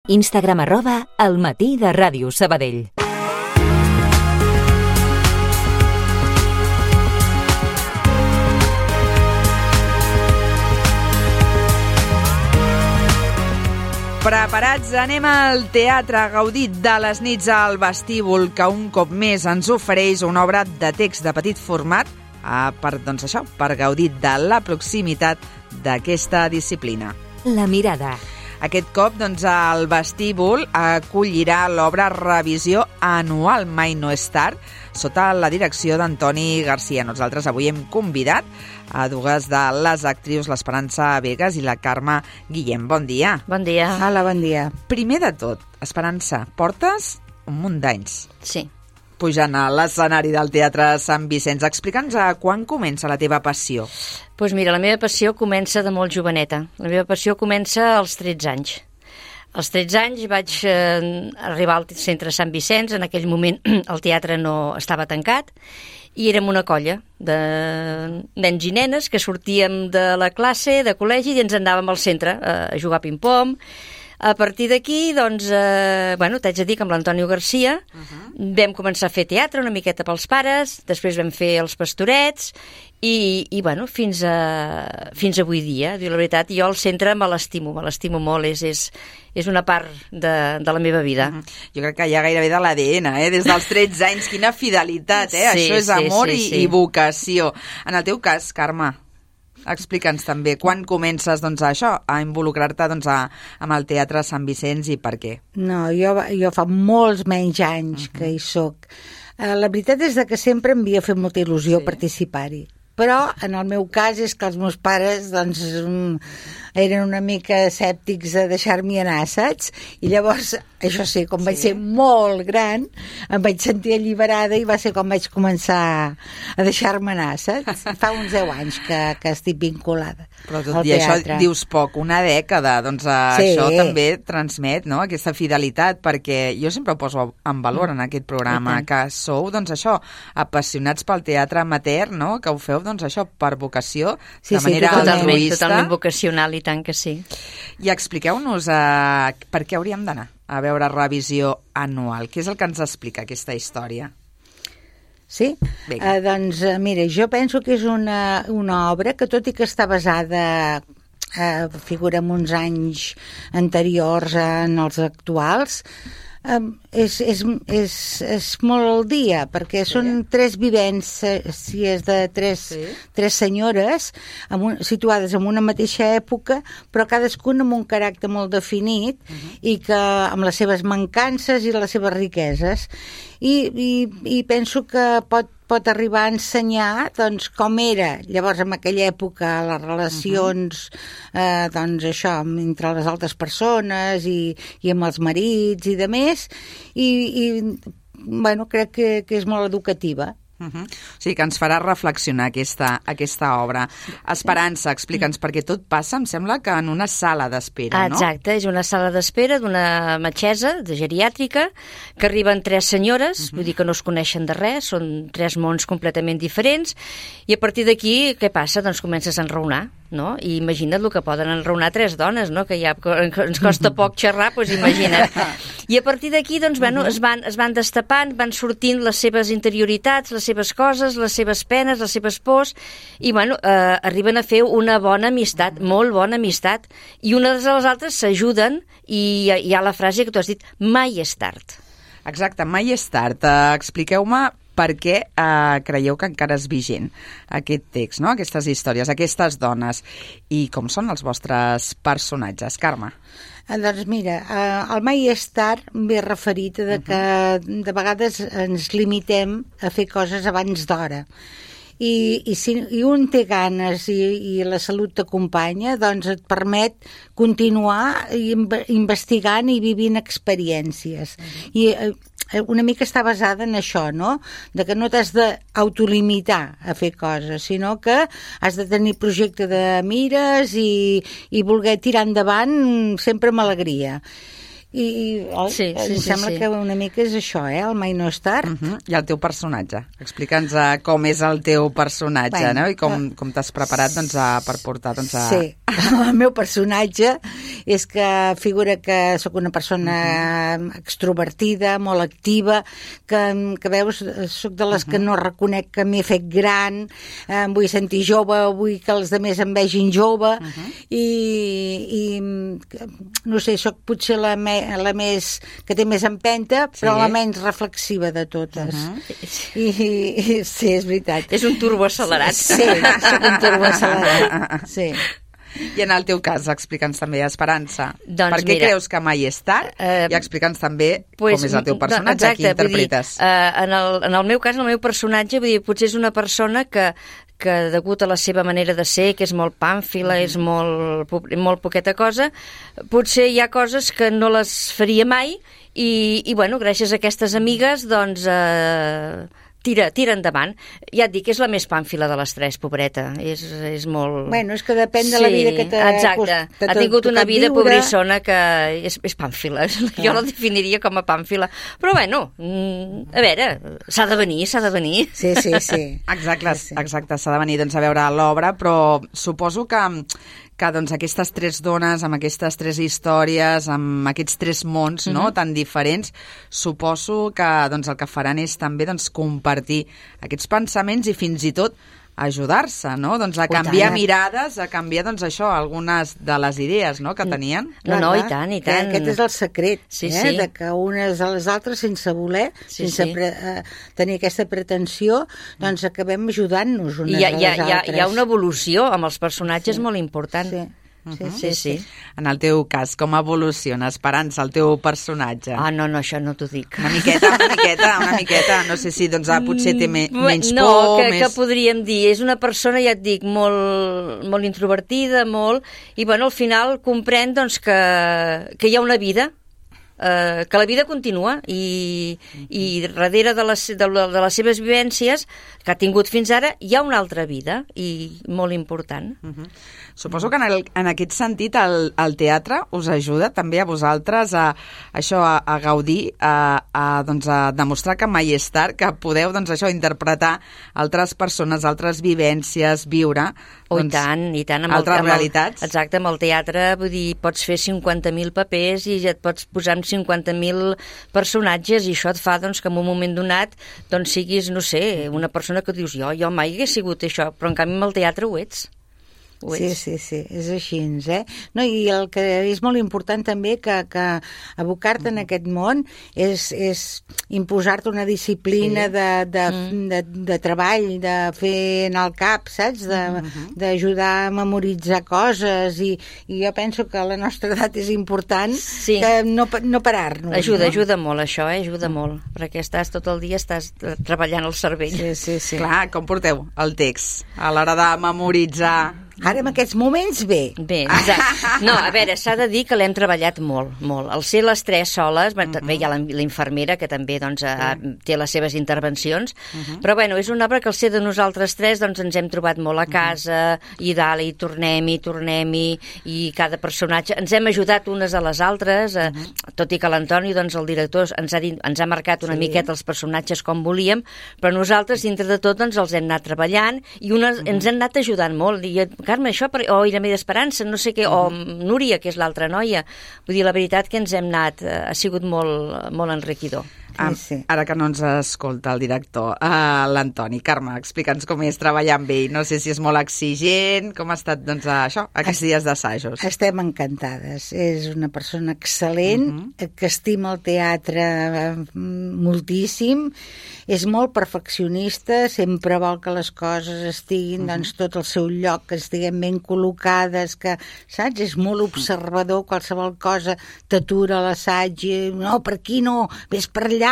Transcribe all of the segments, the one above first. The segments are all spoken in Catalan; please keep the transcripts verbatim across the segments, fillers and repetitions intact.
Instagram arroba El Matí de Ràdio Sabadell. Preparats? Anem al teatre a gaudir de les nits al vestíbul, que un cop més ens ofereix una obra de text de petit format eh, per, doncs això, per gaudir de la proximitat d'aquesta disciplina. La mirada. Aquest cop, doncs, el vestíbul acollirà l'obra Revisió Anual Mai no és tard, sota la direcció d'Antoni Garcia. Nosaltres avui hem convidat a dues de les actrius, l'Esperança Vegas i la Carme Guillem. Bon dia. Bon dia. Hola, bon dia. Primer de tot, Esperança, portes un munt d'anys Sí. pujant a l'escenari del Teatre Sant Vicenç. Explica'ns a quan comença la teva passió. Doncs pues mira, la meva passió comença de molt joveneta. La meva passió comença als tretze anys. Als tretze anys vaig eh, arribar al centre Sant Vicenç. En aquell moment el teatre no estava tancat i érem una colla de nens i nenes que sortíem de la classe, de col·legi, i ens anàvem al centre a jugar a ping-pong. A partir d'aquí, doncs, eh, bueno, t'haig de dir que amb l'Antonio Garcia uh-huh. vam començar a fer teatre una miqueta pels pares, després vam fer els Pastorets i, i bueno, fins, a, fins avui dia. Diu la veritat, jo al centre me l'estimo, me l'estimo molt, és, és, és una part de, de la meva vida. Uh-huh. Jo crec que hi ha gairebé de l'A D N, eh? Des dels tretze anys, quina fidelitat, eh? Sí, Això és sí, amor sí, i, sí. i vocació. En el teu cas, Carme, explica'ns també quan comences doncs, a això, a involucrar-te doncs, a, amb el Teatre Sant Vicenç i per què. No, jo, jo fa molts menys anys uh-huh. que hi soc. Uh, la veritat és que sempre em havia fet molta il·lusió sí. participar-hi. Però en el meu cas és que els meus pares doncs, eren una mica escèptics a deixar-m'hi anar, saps? I llavors, això sí, com vaig sí. ser molt gran, em vaig sentir alliberada i va ser com vaig començar a deixar-me anar, saps? Fa uns deu anys que, que estic vinculada. Però tot i això dius poc, una dècada, doncs sí. això també transmet, no?, aquesta fidelitat, perquè jo sempre ho poso en valor en aquest programa, que sou, doncs això, apassionats pel teatre amateur, no?, que ho feu doncs això, per vocació, sí, de manera sí, totalment, altruista. Totalment vocacional, i tant que sí. I expliqueu-nos uh, per què hauríem d'anar a veure Revisió Anual. Què és el que ens explica aquesta història? Sí? Uh, doncs, uh, mira, jo penso que és una, una obra que, tot i que està basada, uh, figura en uns anys anteriors en els actuals, Um, és, és, és, és molt al dia, perquè sí. són tres vivències de tres, sí. tres senyores amb un, situades en una mateixa època, però cadascuna amb un caràcter molt definit uh-huh. i que amb les seves mancances i les seves riqueses. I, i, i penso que pot pot arribar a ensenyar doncs, com era llavors en aquella època les relacions uh-huh. eh, doncs això, entre les altres persones i, i amb els marits i de més, i, i bueno, crec que, que és molt educativa. Uh-huh. O sigui que ens farà reflexionar aquesta, aquesta obra. Esperança, explica'ns, perquè tot passa, em sembla que en una sala d'espera, no? Exacte, és una sala d'espera d'una metgessa, de geriàtrica, que arriben tres senyores, uh-huh. vull dir que no es coneixen de res, són tres mons completament diferents, i a partir d'aquí, què passa? Doncs comences a enraonar, no? I imagina't el que poden enraonar tres dones, no? Que ja ens costa poc xerrar, doncs imagina't. I a partir d'aquí, doncs, bueno, uh-huh. es, van, es van destapant, van sortint les seves interioritats, les seves coses, les seves penes, les seves pors, i bueno, eh, arriben a fer una bona amistat, molt bona amistat, i unes de les altres s'ajuden, i hi ha la frase que tu has dit, mai és tard. Exacte, mai és tard. Uh, expliqueu-me per què uh, creieu que encara és vigent aquest text, no? Aquestes històries, aquestes dones, i com són els vostres personatges. Carme? Doncs mira, eh, el mai és tard ve referit a que uh-huh. de vegades ens limitem a fer coses abans d'hora. I, i si i un té ganes i, i la salut t'acompanya, doncs et permet continuar investigant i vivint experiències. Uh-huh. I eh, una mica està basada en això, no? De que no t'has d'autolimitar a fer coses, sinó que has de tenir projecte de mires i, i voler tirar endavant sempre amb alegria. I, i oi, sí, sí, em sí, sembla sí. que una mica és això, eh? El mai no és tard. Uh -huh. I el teu personatge. Explica'ns uh, com és el teu personatge, Bueno, no? I com, uh, com t'has preparat doncs, a, per portar... Doncs, a... Sí, el meu personatge és que figura que sóc una persona uh -huh. extrovertida, molt activa, que, que veus, sóc de les uh -huh. que no reconec que m'he fet gran, eh, em vull sentir jove, vull que els altres em vegin jove, uh -huh. i, i no sé, sóc potser la, me, la més que té més empenta, però sí. la menys reflexiva de totes. Uh -huh. I, i sí, és veritat. És un turbo accelerat. Sí, sí, sóc un turbo accelerat. Sí. I en el teu cas, explica'ns també, Esperança, doncs per què mira, creus que mai és tard? Uh, I explica'ns també pues, com és el teu personatge, exacte, qui interpretes. Dir, uh, en, el, en el meu cas, el meu personatge, vull dir, potser és una persona que que degut a la seva manera de ser, que és molt pàmfila, mm. és molt, molt poqueta cosa, potser hi ha coses que no les faria mai i, i bueno, gràcies a aquestes amigues, doncs... Eh, Tira, tira endavant. Ja et dic, és la més pàmfila de les tres, pobreta. És, és molt... Bueno, és que depèn de la vida que t'ha... Exacte. Ha tingut una vida viure... pobrissona que és, és pàmfila. Ah. Jo la definiria com a pàmfila. Però bueno, a veure, s'ha de venir, s'ha de venir. Sí, sí, sí. Exacte, sí, sí. exacte, s'ha de venir doncs, a veure l'obra, però suposo que que doncs, aquestes tres dones, amb aquestes tres històries, amb aquests tres mons no, uh-huh. tan diferents, suposo que doncs, el que faran és també doncs, compartir aquests pensaments i fins i tot ajudar-se, no? Doncs a canviar mirades, a canviar, doncs això, algunes de les idees, no?, que tenien. No, no, i tant, i tant. Aquest és el secret, sí, eh?, sí. de que unes a les altres, sense voler, sí, sense sí. pre eh, tenir aquesta pretensió, doncs acabem ajudant-nos unes I ha, a les hi ha, hi ha, altres. Hi ha una evolució amb els personatges sí. molt important. Sí. Sí, Uh-huh. sí, sí, sí. En el teu cas, com evoluciona, Esperança, el teu personatge? Ah, no, no, això no t'ho dic. Una miqueta, una miqueta, una miqueta. No sé si doncs, ah, potser té me menys no, por, que, més... que podríem dir. És una persona, ja et dic, molt, molt introvertida, molt... I, bueno, al final comprèn, doncs, que, que hi ha una vida, eh, que la vida continua i, i darrere de les, de, de les seves vivències que ha tingut fins ara hi ha una altra vida i molt important. Uh-huh. Suposo que en, el, en aquest sentit el, el teatre us ajuda també a vosaltres a, a això, a, a gaudir, a, a, doncs, a demostrar que mai és tard, que podeu doncs, això, interpretar altres persones, altres vivències, viure Oh, doncs, i tant, i tant. Amb altres el, amb el, realitats. Exacte, amb el teatre, vull dir, pots fer cinquanta mil papers i ja et pots posar amb cinquanta mil personatges i això et fa doncs, que en un moment donat doncs, siguis, no sé, una persona que dius jo, jo mai hagués sigut això, però en canvi amb el teatre ho ets. Ho Sí, ets. sí, sí, és així, eh? No, i el que és molt important també que, que abocar-te en aquest món és, és imposar-te una disciplina sí. de, de, mm. de, de treball, de fer en el cap, saps? D'ajudar a memoritzar coses i, i jo penso que a la nostra edat és important sí. que no, no parar-nos. Ajuda, no? ajuda molt això, eh? Ajuda molt, perquè estàs tot el dia estàs treballant el cervell. Sí, sí, sí. Clar, com porteu el text a l'hora de memoritzar? Ara en aquests moments bé. Bé, exacte. No, a veure, s'ha de dir que l'hem treballat molt, molt. Al ser les tres soles, uh -huh. també hi ha la, la infermera que també doncs, ha, té les seves intervencions, uh -huh. però bueno, és una obra que al ser de nosaltres tres doncs ens hem trobat molt a casa, uh -huh. i dalt, i tornem-hi, tornem-hi, i cada personatge... Ens hem ajudat unes a les altres, uh -huh. tot i que l'Antoni, doncs, el director, ens ha, dit, ens ha marcat una sí. miqueta els personatges com volíem, però nosaltres, dintre de tot, doncs, els hem anat treballant i unes, uh -huh. ens han anat ajudant molt. I Carme, això, per... o Irene d'Esperança, no sé què, uh -huh. o Núria, que és l'altra noia. Vull dir, la veritat que ens hem anat, eh, ha sigut molt, molt enriquidor. Ah, sí, sí. Ara que no ens escolta el director, uh, l'Antoni. Carme, explica'ns com és treballar amb ell. No sé si és molt exigent, com ha estat doncs, això, aquests dies d'assajos. Estem encantades. És una persona excel·lent, uh -huh. que estima el teatre moltíssim, és molt perfeccionista, sempre vol que les coses estiguin uh -huh. doncs, tot al seu lloc, que estiguin ben col·locades, que, saps? És molt observador, qualsevol cosa t'atura l'assaig, i, no, per aquí no, vés per allà.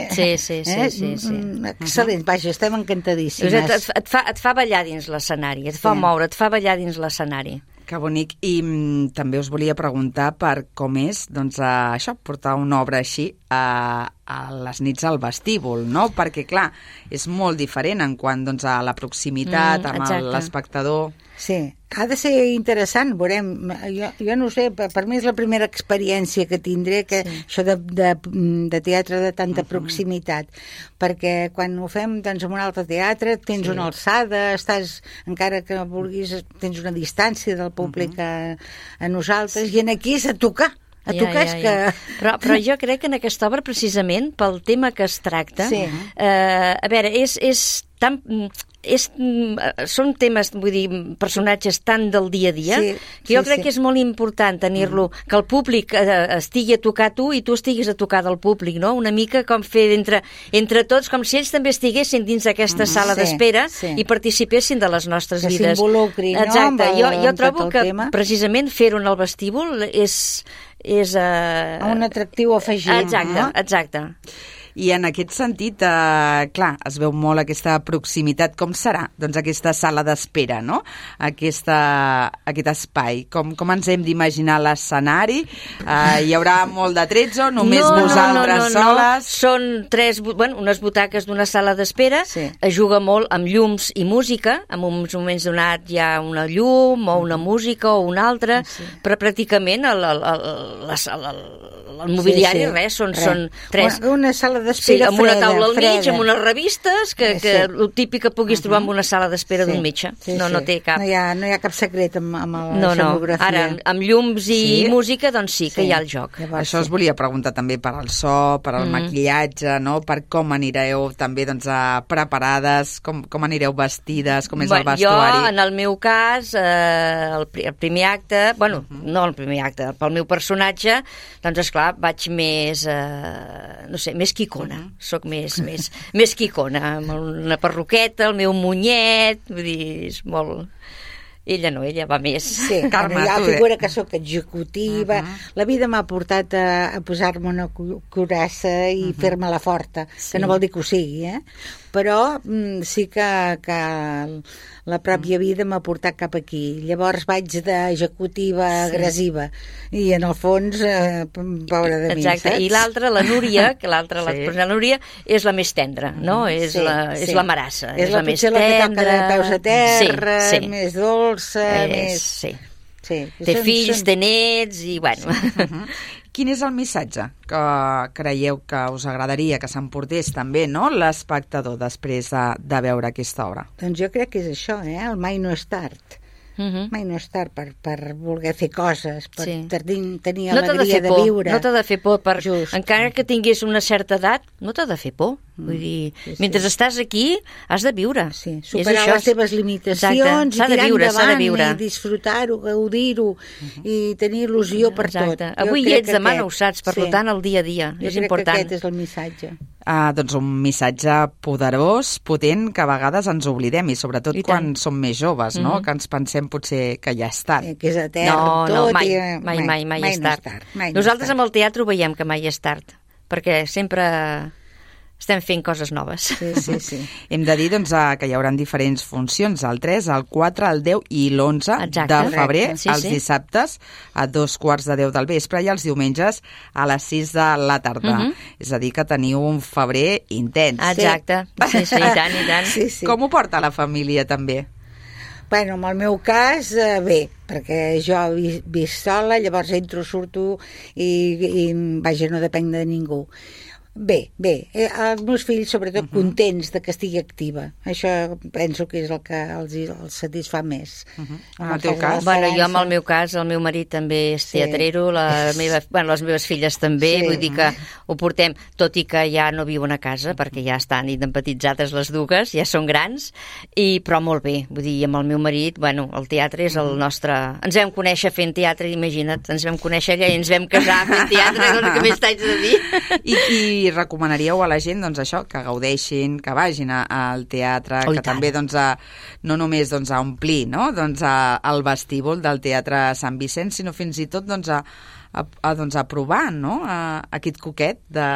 Sí, sí, sí. Eh? sí, sí. Excel·lent, vaja, estem encantadíssimes. Et, et, et, fa, et fa ballar dins l'escenari, et fa sí. moure, et fa ballar dins l'escenari. Que bonic. I mm, també us volia preguntar per com és doncs, uh, això, portar una obra així a, a les nits al vestíbul, no? Perquè, clar, és molt diferent en quant doncs, a la proximitat mm, amb l'espectador. Sí, ha de ser interessant, veurem. Jo, jo no ho sé, per, per mi és la primera experiència que tindré, que sí. això de, de, de teatre de tanta uh-huh. proximitat, perquè quan ho fem doncs, en un altre teatre tens sí. una alçada, estàs, encara que vulguis, tens una distància del públic uh-huh. a, a nosaltres, sí. i en aquí és a tocar. A ja, tocar ja, ja. que... Però, però jo crec que en aquesta obra, precisament, pel tema que es tracta, sí. eh, a veure, és, és tan... És, són temes, vull dir, personatges tan del dia a dia, sí, que jo sí, crec sí. que és molt important tenir-lo, mm. que el públic eh, estigui a tocar tu i tu estiguis a tocar del públic, no? Una mica com fer entre, entre tots, com si ells també estiguessin dins d'aquesta mm. sala sí, d'espera sí. i participessin de les nostres que vides. Que s'involucri, no? Exacte. El, jo, jo trobo que tema. Precisament fer-ho en el vestíbul és... és uh... un atractiu afegit. Exacte, no? exacte. I en aquest sentit, eh, clar, es veu molt aquesta proximitat. Com serà, doncs, aquesta sala d'espera, no? Aquesta, aquest espai. Com, com ens hem d'imaginar l'escenari? Eh, hi haurà molt de tretzo, només no, vosaltres no, no, no, soles? No. Són tres, bueno, unes butaques d'una sala d'espera. Sí. Es juga molt amb llums i música. En uns moments donats hi ha una llum o una música o una altra, sí. però pràcticament el, el, el, el, el, el mobiliari, sí, sí. res, són, res. són tres. Una, una sala d'espera sí, amb una freda, taula al mig, freda. amb unes revistes, que, sí. que el típic que puguis uh-huh. trobar en una sala d'espera sí. d'un metge. Sí, no, sí. no té cap... No hi ha, no hi ha cap secret amb, amb la no, escenografia. No, ara, amb llums i sí. música, doncs sí, que sí. hi ha el joc. Llavors, Això sí. us volia preguntar també per al so, per al mm. maquillatge, no? Per com anireu també doncs, a preparades, com, com anireu vestides, com és bueno, el vestuari. Jo, en el meu cas, eh, el, el primer acte, bueno, uh-huh. no el primer acte, pel meu personatge, doncs, esclar, vaig més, eh, no sé, més quicona. Uh-huh. Soc més, més, més quicona, amb una perruqueta, el meu munyet, vull dir, és molt... Ella no, ella va més. Sí, Carme, bueno, hi ha la figura que sóc executiva. Uh-huh. La vida m'ha portat a, a posar-me una curassa i uh-huh. fer-me la forta, sí. que no vol dir que ho sigui, eh? Però mm, sí que, que la pròpia vida m'ha portat cap aquí. Llavors vaig d'executiva sí. agressiva i en el fons, eh, pobra de mi, exacte. saps? I l'altra, la Núria, que l'altra, sí. la, la Núria, és la més tendra, no? Mm, és, sí, la, és sí. la marassa. És, és la, la més tendra. tendra. La que toca de peus a terra, sí, sí. més dolça, és, més... Sí. Sí, té són, fills, són... té nets i, bueno... Sí. Uh-huh. Quin és el missatge que creieu que us agradaria que s'emportés també, no?, l'espectador després de, de veure aquesta obra? Doncs jo crec que és això, eh? El mai no és tard. Uh-huh. Mai no és tard per, per voler fer coses, per sí. tenir, tenir no alegria de, de viure. No t'ha de fer por, per, Just. encara que tinguis una certa edat, no t'ha de fer por. Mm. Vull dir, sí, sí. mentre estàs aquí, has de viure. Sí, superar això, les teves limitacions i tirar viure, endavant viure. i disfrutar-ho, gaudir-ho uh-huh. i tenir il·lusió per Exacte. tot. Avui hi ets, demà no ho saps, per sí. tant, el dia a dia. Jo és crec important. que aquest és el missatge. Ah, doncs un missatge poderós, potent, que a vegades ens oblidem, i sobretot I quan som més joves, no? Mm-hmm. Que ens pensem potser que ja és tard. Sí, que és etern, no, tot. No, mai, i... mai, mai, mai, mai, mai és no tard. tard. Mai Nosaltres no amb el teatre ho veiem que mai és tard, perquè sempre... estem fent coses noves. Sí, sí, sí. Hem de dir doncs, que hi haurà diferents funcions, el tres, el quatre, el deu i l'onze de febrer, sí, els sí. dissabtes a dos quarts de deu del vespre i els diumenges a les sis de la tarda. Uh-huh. És a dir, que teniu un febrer intens. Exacte, sí, sí, i tant, i tant. Sí, sí. Com ho porta la família, també? Bueno, en el meu cas, eh, bé, perquè jo he vist sola, llavors entro, surto i, i vaja, no depenc de ningú. Bé, bé, eh, els meus fills sobretot uh-huh. contents de que estigui activa. Això penso que és el que els, els satisfà més. Uh-huh. En el teu cas? Bueno, jo en el meu cas, el meu marit també és sí. teatrero, la meva, bueno, les meves filles també, sí. vull dir que ho portem, tot i que ja no viuen a casa, perquè ja estan independentitzades les dues, ja són grans, i, però molt bé, vull dir, amb el meu marit, bueno, el teatre és el nostre... Ens vam conèixer fent teatre, imagina't, ens vam conèixer allà i ens vam casar fent teatre, doncs que més t'haig de dir. I, i i recomanaríeu a la gent doncs, això, que gaudeixin, que vagin a, al teatre, oh, que tant. també doncs, a, no només doncs, a omplir no? doncs, a, al vestíbul del Teatre Sant Vicenç, sinó fins i tot doncs, a, a, a, doncs, a provar no? a, a aquest coquet de...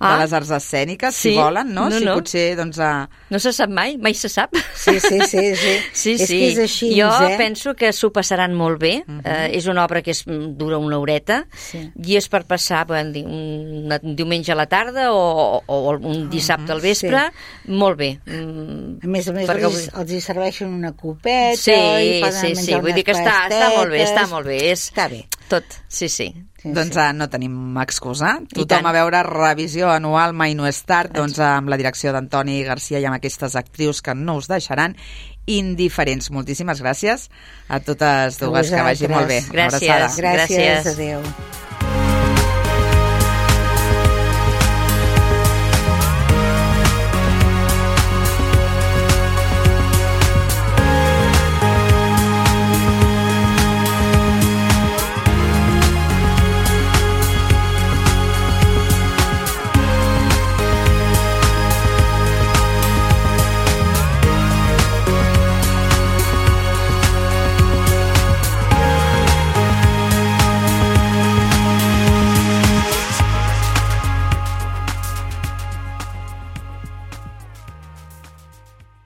ah. de les arts escèniques, sí. si volen, no? no si no. potser, doncs... A... No se sap mai, mai se sap. Sí, sí, sí. sí. sí, és sí. que és així, jo eh? penso que s'ho passaran molt bé. Uh -huh. eh, és una obra que és, dura una horeta sí. i és per passar bueno, un, un diumenge a la tarda o, o un dissabte al vespre. Sí. Molt bé. A més a més, Perquè... els, els hi serveixen una copeta sí, i poden sí, menjar sí. Vull dir que està, està molt bé, està molt bé. És... Està bé. Tot, sí, sí. Sí, doncs sí. no tenim excusa. Tothom a veure revisió anual Mai no és tard, doncs amb la direcció d'Antoni Garcia i amb aquestes actrius que no us deixaran indiferents. Moltíssimes gràcies a totes dues, que vagi molt bé. Gràcies. Gràcies, adéu.